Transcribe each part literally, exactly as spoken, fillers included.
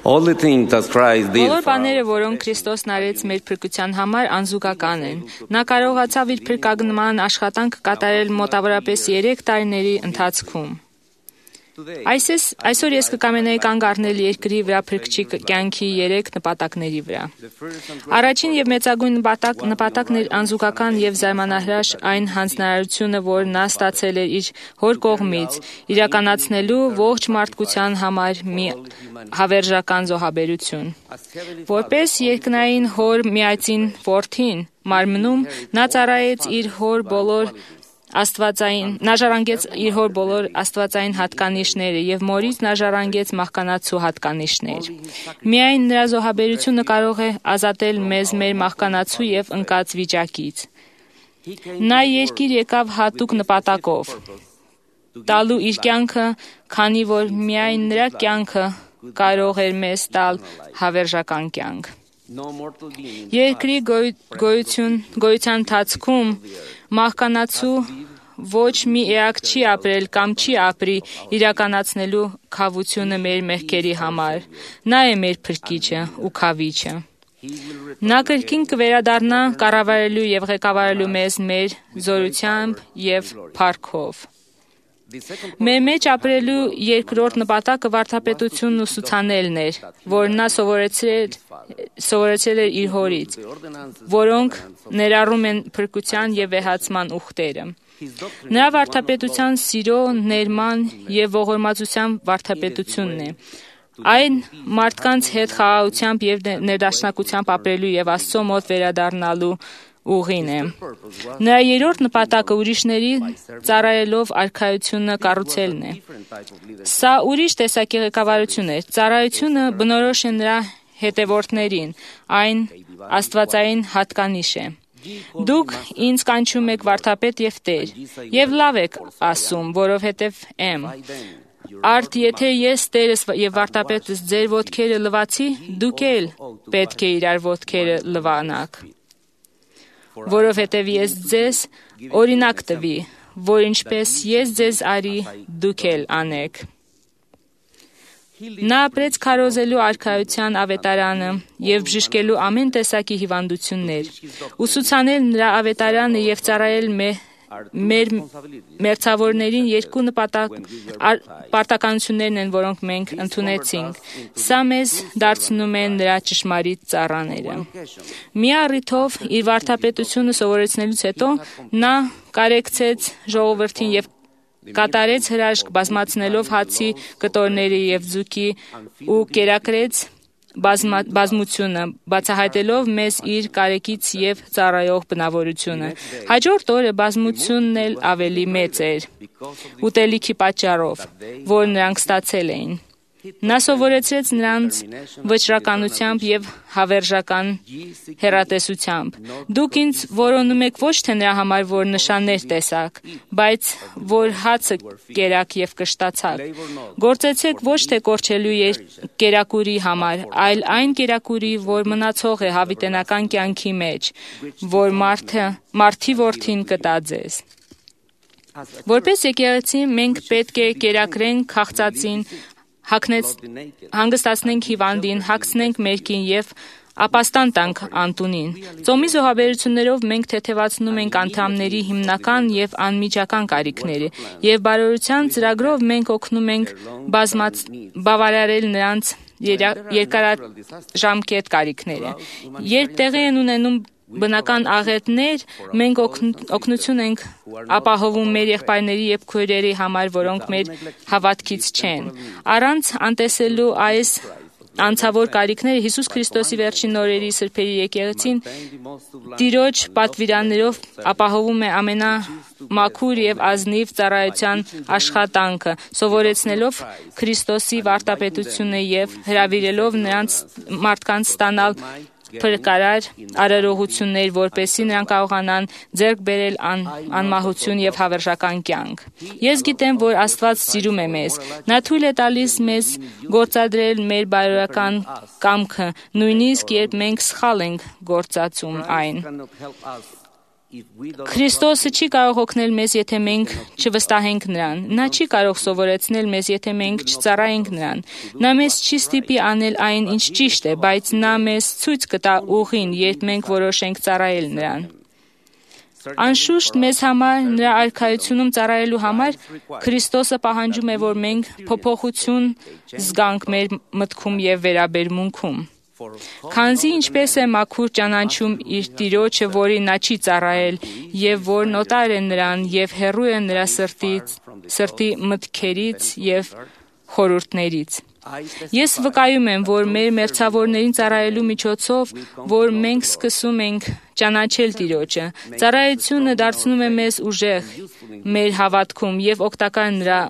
All the things that Christ did Բոլոր for բաները, us, որոնք Քրիստոսն արեց մեր փրկության համար, անզուգական են։ Նա կարողացավ իր փրկագնման աշխատանքը կատարել մոտավորապես երեք տարիների ընթացքում։ Այսես, այսօր ես կկամենայի կանգ առնել երկրի վրա փրկչի կյանքի երեք նպատակների վրա։ Առաջին եւ մեծագույն նպատակ, նպատակն էր անզուգական եւ զարմանահրաշ այն հանձնարարությունը, որ նա ստացել էր իր հոր կողմից, իրականացնելու ողջ մարդկության համար մի հավերժական զոհաբերություն։ Որպես երկնային հոր միածին որդին մարմնում, նա ծառայեց իր հոր բոլոր Աստվածային, նա ժառանգեց իր հոր բոլոր աստվածային հատկանիշները եւ մորից նա ժառանգեց մահկանացու հատկանիշներ։ Միայն նրա զոհաբերությունը կարող է ազատել մեզ մեր մահկանացու եւ ընկած վիճակից։ Նա երկիր եկավ հատուկ նպատակով՝ տալու իր կյանքը, քանի որ միայն նրա կյանքը կարող էր մեզ տալ հավերժական կյանք։ Երկրի գոյություն, գոյության ընթացքում մահկանացու ոչ մի էակ չի ապրել կամ չի ապրի իրականացնելու քավությունը մեր մեղքերի համար։ Նա է մեր փրկիչը ու քավիչը։ Նա կրկին կվերադառնա կառավարելու եւ ղեկավարելու մեզ մեր զորությամբ եւ փառքով։ Մեր մեջ ապրելու երկրորդ նպատակը վարդապետությունն ուսուցանելն էր, որ նա սովորեցրել, սովորեցրել էր իր հորից, որոնք ներառում են փրկության եւ վեհացման ուխտերը։ Նրա վարդապետության սիրո, ներման եւ ողորմածության վարդապետությունն է։ Այն մարդկանց հետ խաղաղությամբ եւ ներդաշնակությամբ ապրելու եւ Աստծո մոտ վերադառնալու ուղին է։ Նրա երրորդ նպատակը ուրիշների ծառայելով արքայությունը կառուցելն է։ Սա ուրիշ տեսակի ղեկավարություն է։ Ծառայությունը բնորոշ է նրա հետևորդներին, այն աստվածային հատկանիշ է։ Դուք ինձ կանչում եք վարդապետ եւ Տեր, եւ լավ եք ասում, որովհետեւ եմ։ Արդ եթե ես Տերս եւ վարդապետս ձեր ոտքերը լվացի, դուք էլ պետք է իրար ոտքերը լվանաք։ Որովհետև ես ձեզ օրինակ տվի, որ ինչպես ես ձեզ արի, դուք էլ անեք։ Նա ապրեց քարոզելու արքայության ավետարանը եւ բժշկելու ամեն տեսակի հիվանդություններ։ Ուսուցանել նրա ավետարանը եւ ծառայել մեր մերձավորներին երկու նպատակ պարտականություններն են, որոնք մենք ընդունեցինք։ Սա մեզ դարձնում է նրա ճշմարիտ ծառաները։ Մի առիթով իր վարդապետությունը սովորեցնելուց հետո նա կարեկցեց ժողովրդին եւ կատարեց հրաշք բազմացնելով հացի կտորների եւ ձուկի ու կերակրեց բազմա, բազմությունը, բացահայտելով մեզ իր կարեկից եւ ծառայող բնավորությունը։ Հաջորդ օրը բազմությունն էլ ավելի մեծ էր, ուտելիքի պատճառով, որ նրանք ստացել էին։ Նա սովորեցրեց նրանց վճռականությամբ եւ հավերժական հեռատեսությամբ։ Դուք ինձ որոնում եք ոչ թե նրա համար, որ նշաններ տեսաք, բայց որ հացը կերաք եւ կշտացաք։ Գործեցեք ոչ թե կորչելու կերակուրի համար, այլ այն կերակուրի, որ մնացող է հավիտենական կյանքի մեջ, որ մարդը, մարդի որդին կտա ձեզ։ Որպես եկեղեցի մենք պետք է կերակրենք քաղցածին, հագնեց, հանգստացնենք հիվանդին, հագցնենք մերկին եւ ապաստան տանք անտունին։ Ծոմի զոհաբերություններով մենք թեթևացնում ենք անդամների հիմնական եւ անմիջական կարիքները եւ բարօրության ծրագրով մենք օգնում ենք բազմաց բավարարել նրանց երկարաժամկետ կարիքները։ Երբ տեղի են ունենում բնական աղետներ, մենք օգնություն ենք ապահովում մեր եղբայրների եւ քույրերի համար, որոնք մեր հավատքից չեն։ Առանց անտեսելու այս անցավոր կարիքները Հիսուս Քրիստոսի վերջին օրերի սրբերի եկեղեցին Տիրոջ պատվիրաններով ապահովում է ամենամաքուր եւ ազնիվ ծառայության աշխատանքը, սովորեցնելով Քրիստոսի վարդապետությունը եւ հրավիրելով նրանց մարդկանց ստանալ փրկարար արարողություններ, որպեսզի նրանք կարողանան ձեռք բերել ան, անմահություն եւ հավերժական կյանք։ Ես գիտեմ, որ Աստված սիրում է մեզ։ Նա թույլ է տալիս մեզ գործադրել մեր բարոյական կամքը, նույնիսկ երբ մենք սխալ ենք գործածում այն։ Քրիստոսը չի կարող օգնել մեզ, եթե մենք չվստահենք նրան։ Նա չի կարող սովորեցնել մեզ, եթե մենք չծառայենք նրան։ Նա մեզ չի ստիպի անել այն, ինչ ճիշտ է, բայց նա մեզ ցույց կտա ուղին, երբ մենք որոշենք ծառայել նրան։ Անշուշտ մեզ համար նրա արքայությունում ծառայելու համար Քրիստոսը պահանջում է, որ մենք փոփոխություն զգանք մեր մտքում եւ վերաբերմունքում։ Քանզի ինչպես է մաքուր ճանաչում իր տիրոջը, որին նա չի ծառայել, եւ որ նոտար է նրան եւ հեռու է նրա սրտից, սրտի մտքերից եւ խորհուրդներից։ Ես վկայում եմ, որ մեր մերձավորներին ծառայելու միջոցով, որ մենք սկսում ենք ճանաչել Տիրոջը, ծառայությունը դարձնում է մեզ ուժեղ մեր հավատքում եւ օգտակար նրա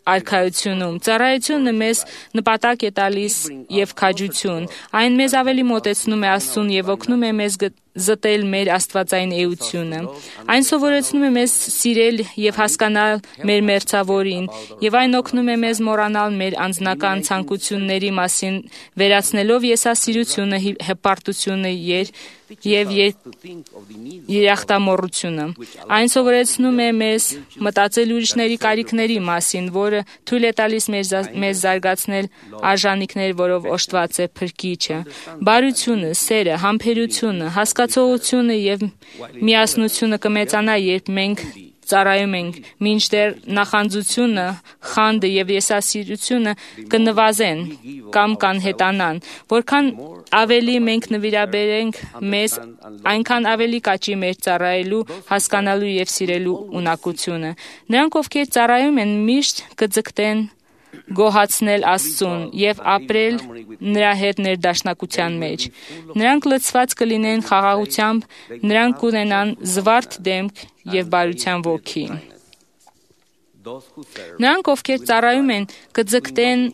արքայությունում։ Ծառայությունը մեզ նպատակ է տալիս եւ քաջություն։ Այն մեզ ավելի մոտեցնում է Աստծուն եւ օգնում է մեզ զտել մեր աստվածային էությունը։ Այն սովորեցնում է մեզ սիրել եւ հասկանալ մեր մերձավորին, եւ այն օգնում է մեզ մոռանալ մեր անձնական ցանկությունների մասին, վերացնելով եսասիրությունը, հպարտությունը եւ երախտամոռությունը։ Այն սովորեցնում է մեզ մտածել ուրիշների կարիքների մասին, որը թույլ է տալիս մեզ զարգացնել արժանինքներ, որով օժտված է Փրկիչը։ Բարությունը, սերը, համբերությունը, հասկացողությունը եւ միասնությունը կմեծանա, երբ մենք ծառայում ենք, մինչդեռ նախանձությունը, խանդը եւ եսասիրությունը կնվազեն կամ կանհետանան։ Որքան ավելի մենք նվիրաբերենք մեզ, այնքան ավելի կաճի մեր ծառայելու, հասկանալու եւ սիրելու ունակությունը։ Նրանք, ովքեր ծառայում են, միշտ կձգտեն գոհացնել Աստծուն եւ ապրել նրա հետ ներդաշնակության մեջ։ Նրանք լցված կլինեն խաղաղությամբ, նրանք կունենան զվարթ դեմք եւ բարության ոգի։ Նրանք, ովքեր ծառայում են, կձգտեն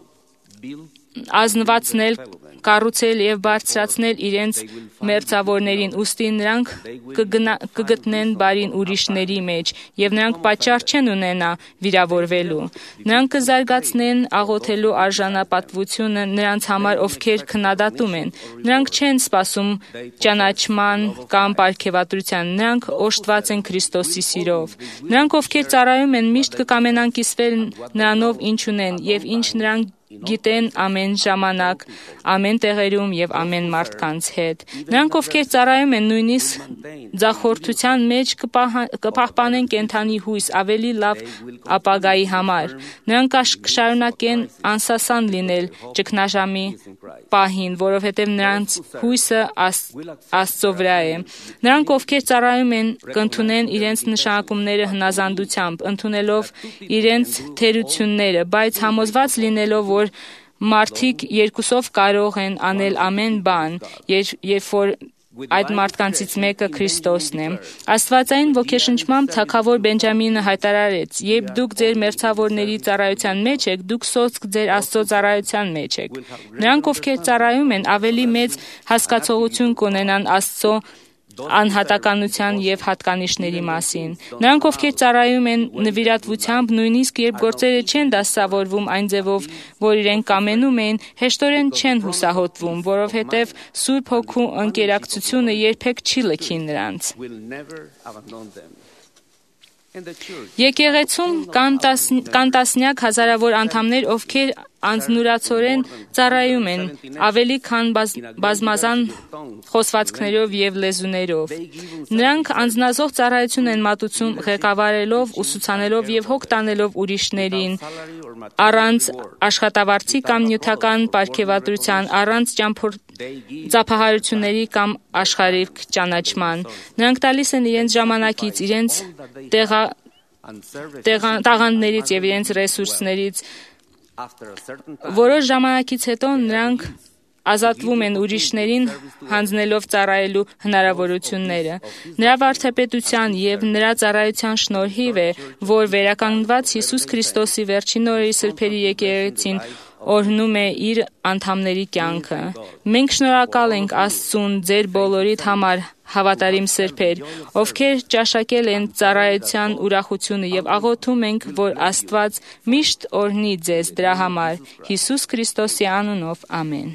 ազնվացնել, կառուցել եւ բարձրացնել իրենց մերձավորներին, ուստի նրանք կգտնեն բարին ուրիշների մեջ եւ նրանք պատճառ չեն ունենա վիրավորվելու։ Նրանք կզարգացնեն աղոթելու արժանապատվությունը նրանց համար, ովքեր քննադատում են։ Նրանք չեն սպասում ճանաչման կամ պարգևատրության, նրանք օժտված են Քրիստոսի սիրով։ Նրանք, ովքեր ծառայում են, միշտ կկամենան կիսվել նրանով, ինչ ունեն եւ ինչ նրանք գիտեն ամեն ժամանակ, ամեն տեղերում եւ ամեն մարդկանց հետ։ Նրանք, ովքեր ծառայում են, նույնիսկ ձախորդության մեջ կպահպանեն կենդանի հույս ավելի լավ ապագայի համար։ Նրանք կշարունակեն անսասան լինել ճգնաժամի պահին, որովհետեւ նրանց հույսը Աստծո վրա է։ Նրանք, ովքեր ծառայում են, կընդունեն իրենց նշանակումները հնազանդությամբ, ընդունելով իրենց թերությունները, բայց համոզված լինելով, որ մարդիկ երկուսով կարող են անել ամեն բան, երբ որ այդ մարդկանցից մեկը Քրիստոսն է։ Աստվածային ոգեշնչմամբ թագավոր Բենջամինը հայտարարեց. «Երբ դուք ձեր մերձավորների ծառայության մեջ եք, դուք սոսկ ձեր Աստծո ծառայության մեջ եք»։ Նրանք, ովքեր ծառայում են, ավելի մեծ հասկացողություն կունենան Աստծո անհատականության եւ հատկանիշների մասին։ Նրանք, ովքեր ծառայում են նվիրատվությամբ, նույնիսկ երբ գործերը չեն դասավորվում այն ձևով, որ իրենք կամենում էին, հեշտորեն չեն հուսահոտվում, որովհետեւ Սուրբ Հոգու ընկերակցությունը երբեք չի լքի նրանց։ Եկեղեցում կան տասնյակ հազարավոր անդամներ, ովքեր անձնուրացորեն ծառայում են, ավելի քան բազմազան խոսվածքներով եւ լեզուներով։ Նրանք անձնազոհ ծառայություն են մատուցում, ղեկավարելով, ուսուցանելով եւ հոգ տանելով ուրիշներին, առանց աշխատավարձի կամ նյութական պարգևատրության, առանց ծափահարությունների կամ աշխարհիկ ճանաչման։ Նրանք տալիս են իրենց ժամանակից, իրենց տաղանդներից եւ իրենց ռեսուրսներից։ Որոշ ժամանակից հետո նրանք ազատվում են ուրիշներին հանձնելով ծառայելու հնարավորությունները։ Նրա վարդապետության եւ նրա ծառայության շնորհիվ է, որ վերականգնված Հիսուս Քրիստոսի վերջին օրերի սրբերի եկեղեցին օրհնում է իր անդամների կյանքը։ Մենք շնորհակալ ենք Աստծուն ձեր բոլորիդ համար, հավատարիմ սրբեր, ովքեր ճաշակել են ծառայության ուրախությունը եւ աղոթում ենք, որ Աստված միշտ օրհնի ձեզ դրա համար։ Հիսուս Քրիստոսի անունով ամեն։